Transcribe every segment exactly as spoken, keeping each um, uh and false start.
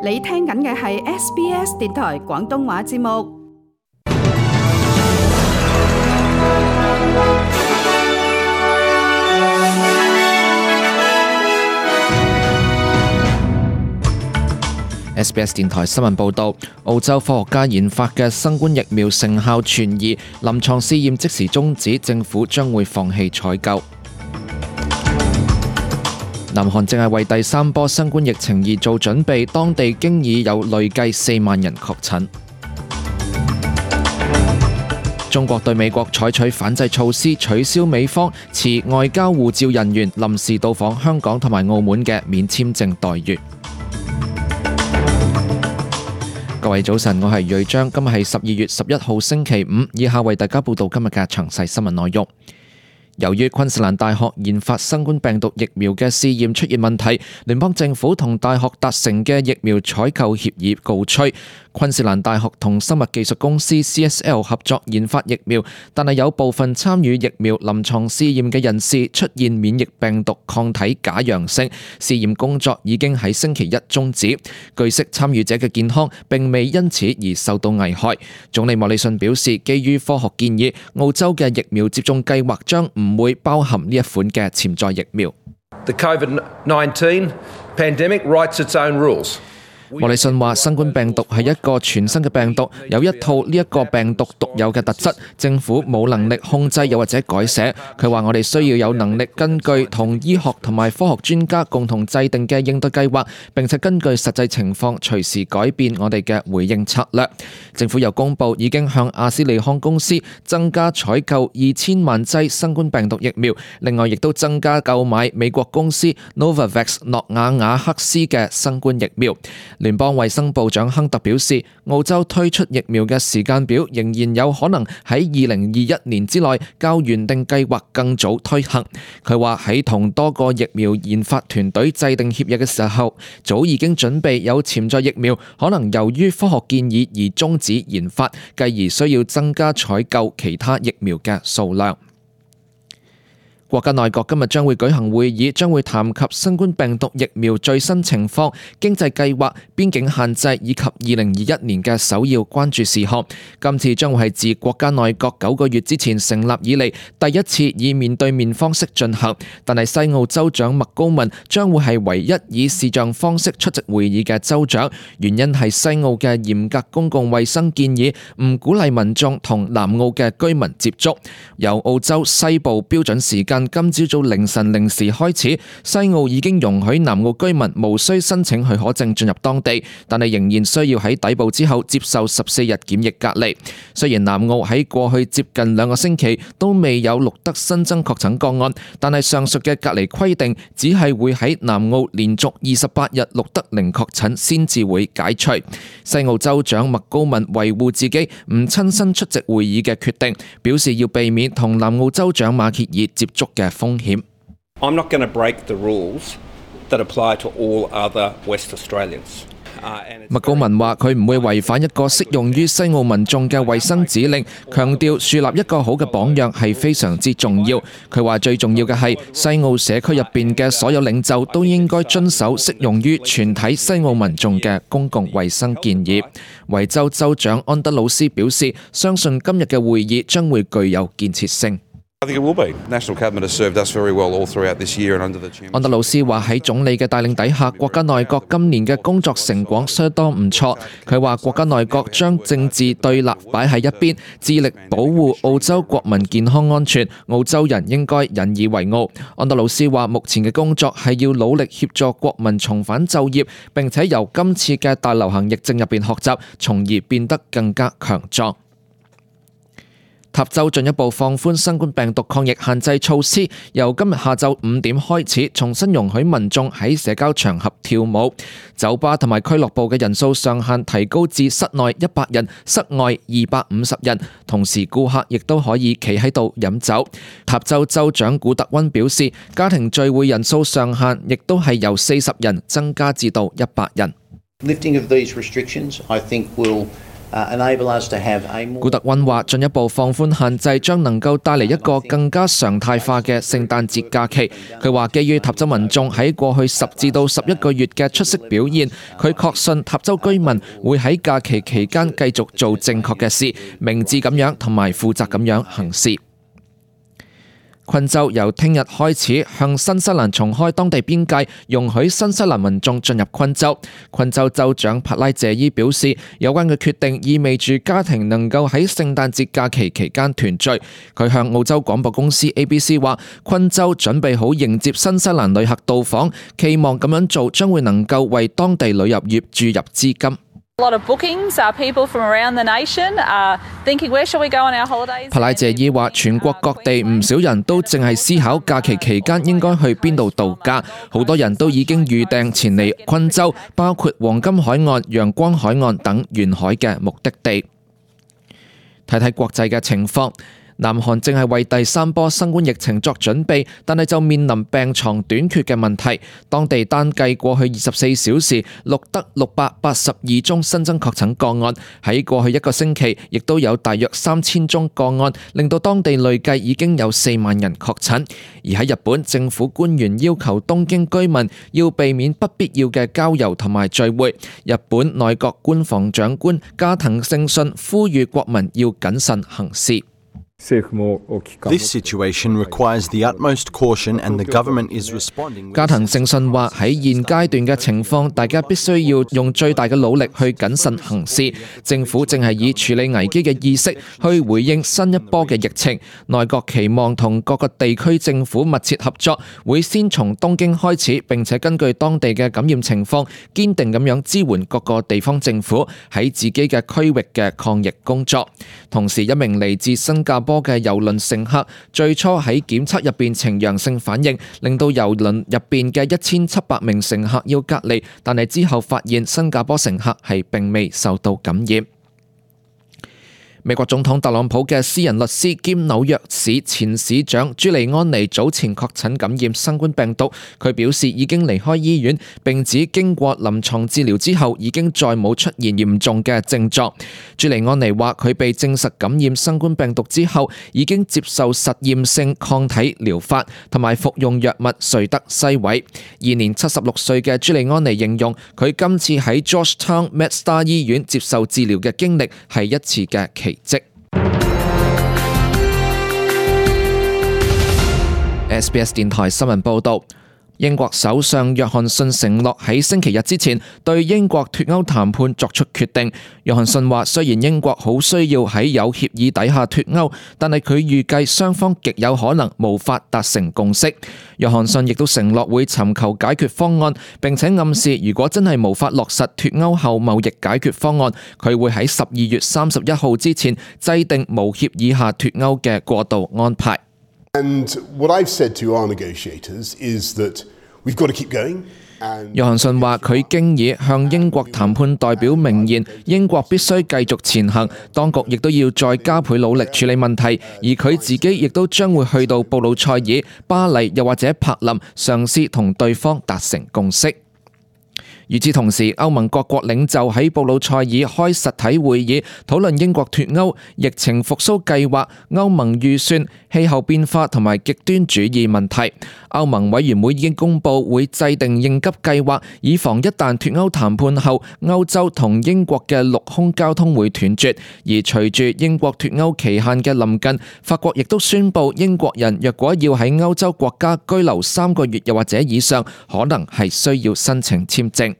你聽緊嘅係 S B S 電台廣東話節目。S B S 電台新聞報導，澳洲科學家研發嘅新冠疫苗成效存疑，臨床試驗即時終止，政府將會放棄採購。南韓正係為第三波新冠疫情而做準備，當地經已有累計四萬人確診。中國對美國採取反制措施，取消美方持外交護照人員臨時到訪香港同埋澳門嘅免簽證待遇。各位早晨，我係瑞章，今日係十二月十一號星期五，以下為大家報道今日嘅詳細新聞內容。由於昆士蘭大學研發新冠病毒疫苗嘅試驗出現問題，聯邦政府同大學達成嘅疫苗採購協議告吹。昆士蘭大學同生物技術公司 C S L 合作研發疫苗，但係有部分參與疫苗臨床試驗嘅人士出現免疫病毒抗體假陽性，試驗工作已經喺星期一終止。據悉，參與者嘅健康並未因此而受到危害。總理莫里遜表示，基於科學建議，澳洲嘅疫苗接種計劃將唔會包含呢一款嘅潛在疫苗。The COVID nineteen pandemic writes its own rules. 莫里遜話：新冠病毒係一個全新嘅病毒，有一套呢一個病毒獨有嘅特質，政府冇能力控制又或者改寫。佢話：我哋需要有能力根據同醫學同埋科學專家共同制定嘅應對計劃，並且根據實際情況隨時改變我哋嘅回應策略。政府又公佈已經向阿斯利康公司增加採購二千萬劑新冠病毒疫苗，另外亦都增加購買美國公司 Novavax 諾瓦瓦克斯嘅新冠疫苗。聯邦衛生部長亨特表示，澳洲推出疫苗嘅時間表仍然有可能喺二零二一年之內較原定計劃更早推行。佢話喺同多個疫苗研發團隊制定協議嘅時候，早已經準備有潛在疫苗可能由於科學建議而終止研發，繼而需要增加採購其他疫苗嘅數量。國家內閣今日將會舉行會議，將會談及新冠病毒疫苗最新情況、經濟計劃、邊境限制以及二零二一年嘅首要關注事項。今次將會係自國家內閣九個月之前成立以嚟第一次以面對面方式進行，但係西澳州長麥高文將會係唯一以視像方式出席會議嘅州長，原因係西澳嘅嚴格公共衛生建議唔鼓勵民眾同南澳嘅居民接觸。由澳洲西部標準時間今朝早凌晨零時開始，西澳已經容許南澳居民無需申請許可證進入當地，但係仍然需要喺抵埗之後接受十四日檢疫隔離。雖然南澳喺過去接近兩個星期都未有錄得新增確診個案，但係上述嘅隔離規定只係會喺南澳連續二十八日錄得零確診先至會解除。西澳州長麥高文維護自己唔親身出席會議嘅決定，表示要避免同南澳州長馬歇爾接觸嘅風險。I'm not going to break the rules that apply to all other West Australians. 麥高文話：佢唔會違反一個適用於西澳民眾嘅衛生指令，強調樹立一個好嘅榜樣係非常之重要。佢話最重要嘅係西澳社區入邊嘅所有領袖都應該遵守適用於全體西澳民眾嘅公共衛生建議。維州州長安德魯斯表示，相信今日嘅會議將會具有建設性。安德魯斯話喺總理嘅帶領底下，國家內閣今年嘅工作成果相當唔錯。佢話國家內閣將政治對立擺喺一邊，致力保護澳洲國民健康安全，澳洲人應該引以為傲。安德魯斯話目前嘅工作係要努力協助國民重返就業，並且由今次嘅大流行疫症入邊學習，從而變得更加強壯。塔州進一步放寬新冠病毒抗疫限制措施，由今日下晝五點開始，重新容許民眾喺社交場合跳舞。酒吧同埋俱樂部嘅人數上限提高至室內一百人，室外二百五十人。同時，顧客亦都可以企喺度飲酒。塔州州長古特溫表示，家庭聚會人數上限亦都係由四十人增加至到一百人。Lifting of these restrictions, I think will 古特溫話：進一步放寬限制將能夠帶嚟一個更加常態化嘅聖誕節假期。佢話：基於塔州民眾喺過去十至到十一個月嘅出色表現，佢確信塔州居民會喺假期期間繼續做正確嘅事，明智咁樣同埋負責咁樣行事。昆州由聽日開始向新西蘭重開當地邊界，容許新西蘭民眾進入昆州。昆州州長帕拉謝伊表示，有關嘅決定意味住家庭能夠喺聖誕節假期期間團聚。佢向澳洲廣播公司 A B C 話，昆州準備好迎接新西蘭旅客到訪，期望咁樣做將會能夠為當地旅遊業注入資金。A lot of bookings, uh, people from around the nation are thinking where should we go on our holidays. 帕拉謝伊話：全國各地唔少人都淨係思考假期期間應該去邊度度假，好多人都已經預訂前嚟昆州，包括黃金海岸、陽光海岸等沿海嘅目的地。睇睇國際嘅情況。南韓正係為第三波新冠疫情作準備，但係就面臨病床短缺嘅問題。當地單計過去二十四小時錄得六百八十二宗新增確診個案，喺過去一個星期亦都有大約三千宗個案，令到當地累計已經有四萬人確診。而喺日本，政府官員要求東京居民要避免不必要嘅郊遊同埋聚會。日本內閣官房長官加藤勝信呼籲國民要謹慎行事。This situation requires the utmost caution, and the government is responding. 加藤勝信話：喺現階段嘅情況，大家必須要用最大嘅努力去謹慎行事。政府正係以處理危機嘅意識去回應新一波嘅疫情。內閣期望同各個地區政府密切合作，會先從東京開始，並且根據當地嘅感染情況，堅定咁樣支援各個地方政府喺自己嘅區域嘅抗疫工作。同時，一名嚟自新加坡嘅郵輪乘客最初喺檢測入邊呈陽性反應，令到郵輪入邊嘅一千七百名乘客要隔離，但係之後發現新加坡乘客係並未受到感染。美國總統特朗普嘅私人律師兼紐約市前市長朱利安尼早前確診感染新冠病毒，佢表示已經離開醫院，並指經過臨床治療之後已經再冇出現嚴重嘅症狀。朱利安尼話佢被證實感染新冠病毒之後，已經接受實驗性抗體療法同埋服用藥物瑞德西韋。現年七十六歲嘅朱利安尼形容佢今次喺 Georgetown MedStar 醫院接受治療嘅經歷係一次嘅奇蹟。S B S 電台新聞報道，英國首相約翰遜承諾喺星期日之前對英國脫歐談判作出決定。約翰遜話，雖然英國好需要喺有協議底下脫歐，但係佢預計雙方極有可能無法達成共識。約翰遜亦都承諾會尋求解決方案，並且暗示如果真係無法落實脫歐後貿易解決方案，佢會喺十二月三十一號之前制定無協議下脫歐嘅過渡安排。And what I've said to our negotiators is that we've got to keep going. 約翰遜話：佢經已向英國談判代表明言，英國必須繼續前行，當局亦都要再加倍努力處理問題，而佢自己亦都將會去到布魯塞爾、巴黎又或者柏林，嘗試同對方達成共識。與此同時，歐盟各國領袖喺布魯塞爾開實體會議，討論英國脫歐、疫情復甦計劃、歐盟預算、氣候變化同埋極端主義問題。歐盟委員會已經公佈會制定應急計劃，以防一旦脫歐談判後，歐洲同英國嘅陸空交通會斷絕。而隨住英國脫歐期限嘅臨近，法國亦都宣佈英國人若果要喺歐洲國家居留三個月又或者以上，可能係需要申請簽證。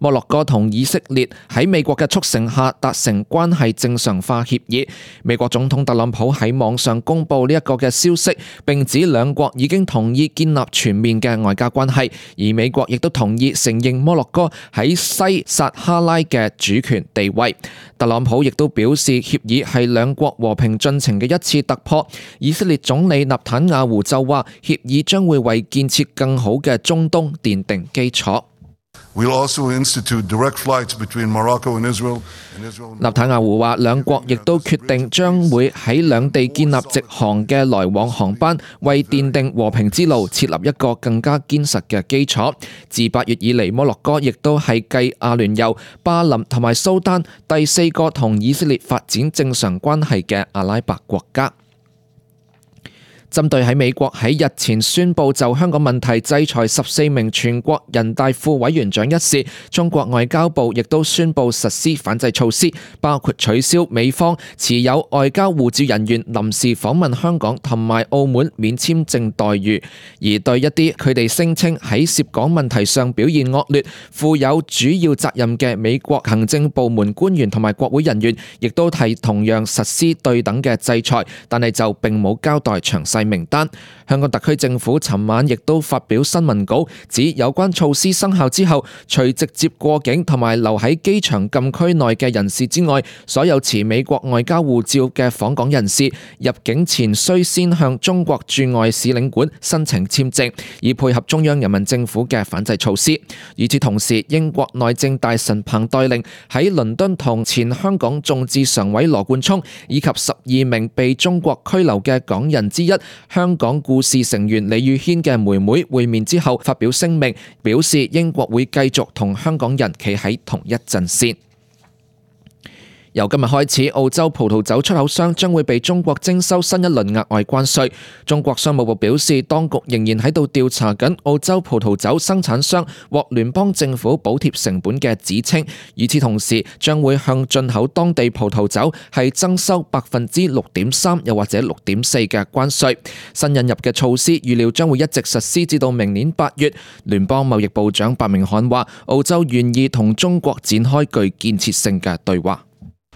摩洛哥同以色列喺美國嘅促成下達成關係正常化協議。美國總統特朗普喺網上公布呢一個嘅消息，並指兩國已經同意建立全面嘅外交關係，而美國亦都同意承認摩洛哥喺西撒哈拉嘅主權地位。特朗普亦都表示協議係兩國和平進程嘅一次突破。以色列總理納坦雅胡就話協議將會為建設更好嘅中東奠定基礎。We'll also institute direct flights between Morocco and Israel. 納坦雅胡話，兩國亦都決定將會喺兩地建立直航嘅來往航班，為奠定和平之路設立一個更加堅實嘅基礎。自八月以嚟，摩洛哥亦都係繼阿聯酋、巴林同埋蘇丹第四個同以色列發展正常關係嘅阿拉伯國家。針對喺美國喺日前宣布就香港問題制裁十四名全國人大副委員長一事，中國外交部亦都宣布實施反制措施，包括取消美方持有外交護照人員臨時訪問香港同埋澳門免簽證待遇，而對一啲佢哋聲稱喺涉港問題上表現惡劣、負有主要責任嘅美國行政部門官員同埋國會人員，亦都係同樣實施對等嘅制裁，但係就並冇交代詳細名單。香港特區政府尋晚亦都發表新聞稿，指有關措施生效之後，除直接過境同埋留喺機場禁區內嘅人士之外，所有持美國外交護照嘅訪港人士入境前需先向中國駐外使領館申請簽證，以配合中央人民政府嘅反制措施。與此同時，英國內政大臣彭黛玲喺倫敦同前香港眾志常委羅冠聰以及十二名被中國拘留嘅港人之一香港故事成員李宇軒嘅妹妹會面之後，發表聲明，表示英國會繼續同香港人企喺同一陣線。由今日開始，澳洲葡萄酒出口商將會被中國徵收新一輪額外關稅。中國商務部表示，當局仍然喺度調查緊澳洲葡萄酒生產商獲聯邦政府補貼成本嘅指稱。與此同時，將會向進口當地葡萄酒係徵收百分之六點三又或者六點四嘅關稅。新引入嘅措施預料將會一直實施至到明年八月。聯邦貿易部長白明漢話，澳洲願意同中國展開具建設性嘅對話。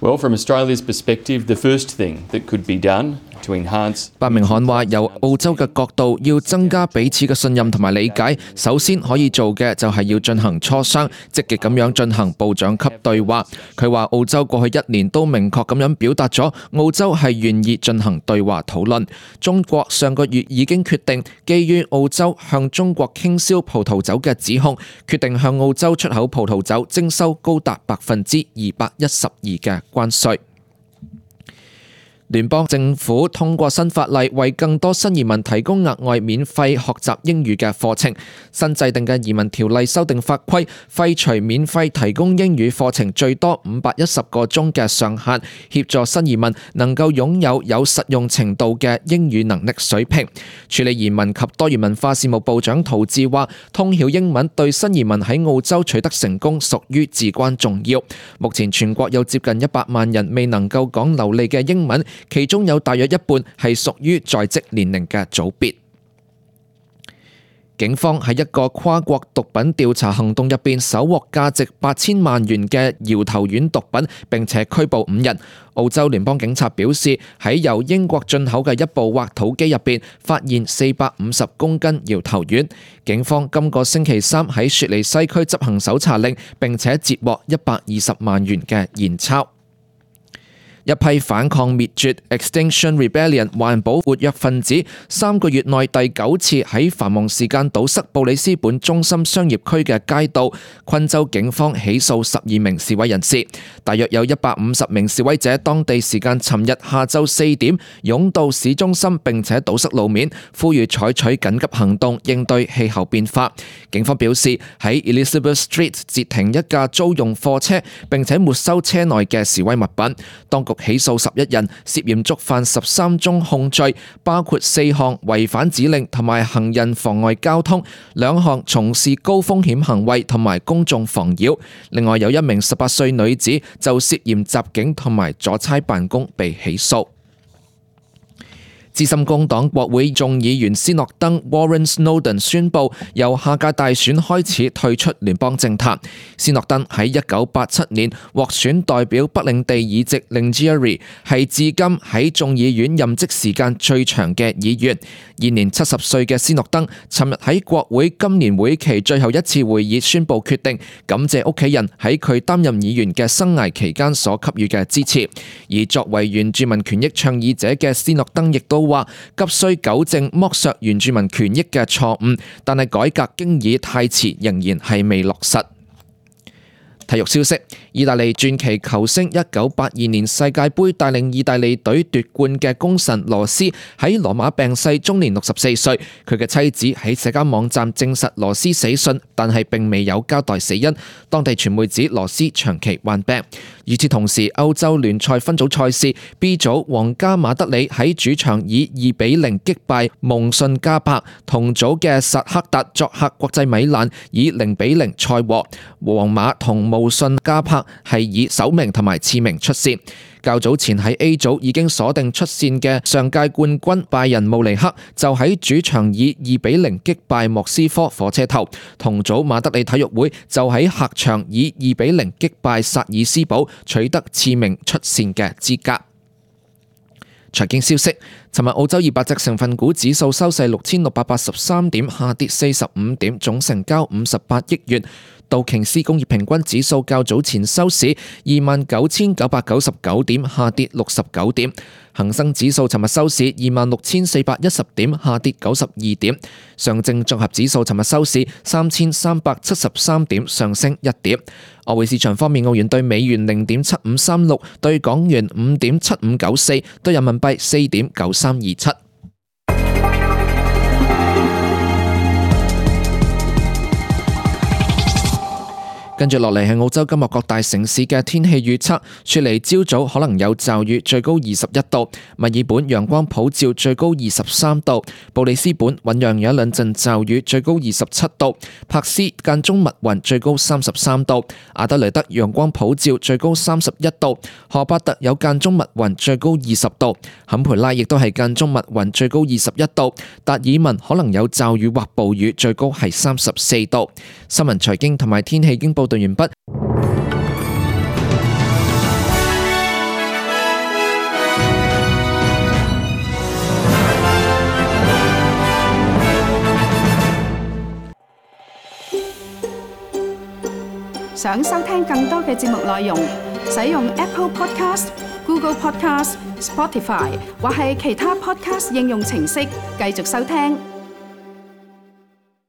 Well, from Australia's perspective, the first thing that could be done to enhance 白明漢話，由澳洲嘅角度，要增加彼此嘅信任同埋理解，首先可以做嘅就係要進行磋商，積極咁樣進行部長級對話。佢話澳洲過去一年都明確咁樣表達咗澳洲係願意進行對話討論。中國上個月已經決定，基於澳洲向中國傾銷葡萄酒嘅指控，決定向澳洲出口葡萄酒徵收高達百分之二百一十二嘅關稅。聯邦政府通過新法例，為更多新移民提供額外免費學習英語嘅課程。新制定嘅移民條例修訂法規，廢除免費提供英語課程最多五百一十個鐘嘅上限，協助新移民能夠擁有有實用程度嘅英語能力水平。處理移民及多元文化事務部長陶志話，通曉英文對新移民喺澳洲取得成功屬於至關重要。目前全國有接近一百萬人未能夠講流利嘅英文，其中有大約一半係屬於在職年齡嘅組別。警方喺一個跨國毒品調查行動入邊，搜獲價值八千萬元嘅搖頭丸毒品，並且拘捕五人。澳洲聯邦警察表示，喺由英國進口嘅一部挖土機入邊，發現四百五十公斤搖頭丸。警方今個星期三喺雪梨西區執行搜查令，並且截獲一百二十萬元嘅現鈔。一批反抗滅絕 Extinction Rebellion 環保活躍分子三個月內第九次喺繁忙時間堵塞布里斯本中心商業區嘅街道，昆州警方起訴十二名示威人士，大約有一百五十名示威者當地時間尋日下晝四點湧到市中心，並且堵塞路面，呼籲採取緊急行動應對氣候變化。警方表示喺 Elizabeth Street 截停一架租用貨車，並且沒收車內嘅示威物品。當局起訴十一人，涉嫌觸犯十三宗控罪，包括四項違反指令同埋行人妨礙交通，兩項從事高風險行為同埋公眾妨擾。另外有一名十八歲女子就涉嫌襲警同埋阻差辦公被起訴。資深工黨國會眾議員斯諾登 Warren Snowden 宣布由下屆大選開始退出聯邦政壇。斯諾登喺一九八七年獲選代表北領地議席 Lingieri， 係至今喺眾議院任職時間最長嘅議員。現年七十歲嘅斯諾登尋日喺國會今年會期最後一次會議宣布決定，感謝屋企人喺佢擔任議員嘅生涯期間所給予嘅支持。而作為原住民權益倡議者嘅斯諾登亦都話急需糾正剝削原住民權益嘅錯誤，但係改革經已太遲，仍然係未落實。體育消息：意大利傳奇球星一九八二年世界盃帶領意大利隊奪冠嘅功臣羅斯喺羅馬病逝，終年六十四歲。佢嘅妻子喺社交網站證實羅斯死訊，但係並未有交代死因。當地傳媒指羅斯長期患病。與此同時，歐洲聯賽分組賽事 B 組，皇家馬德里喺主場以二比零擊敗蒙遜加柏，同組嘅薩克達作客國際米蘭以零比零賽和。皇馬同慕遜加柏係以首名同埋次名出線。較早前喺 A 組已經鎖定出線嘅上屆冠軍拜仁慕尼黑就喺主場以二比零擊敗莫斯科火車頭，同組馬德里體育會就喺客場以二比零擊敗薩爾斯堡，取得次名出線嘅資格。財經消息：尋日澳洲二百隻成分股指數收市六千六百八十三點，下跌四十五點，總成交五十八億元。道瓊斯工業平均指數較早前收市二萬九千九百九十九點，下跌六十九點。恒生指數尋日收市二萬六千四百一十點，下跌九十二點。上證綜合指數尋日收市三千三百七十三點，上升一點。外匯市場方面，澳元對美元零點七五三六，對港元五點七五九四，對人民幣四點九三二七。跟住落嚟係澳洲今日各大城市嘅天氣預測。雪梨朝早可能有驟雨，最高二十一度；墨爾本陽光普照，最高二十三度；布里斯本醞釀有一兩陣驟雨，最高二十七度；柏斯間中密雲，最高三十三度；阿德雷德陽光普照，最高三十一度；荷巴特有間中密雲，最高二十度；坎培拉亦都係間中密雲，最高二十一度；達爾文可能有驟雨或暴雨，最高係三十四度。新聞財經同埋天氣經報道完畢。想收聽更多嘅節目內容，使用 Apple Podcast、Google Podcast、Spotify 或係其他 Podcast 應用程式繼續收聽。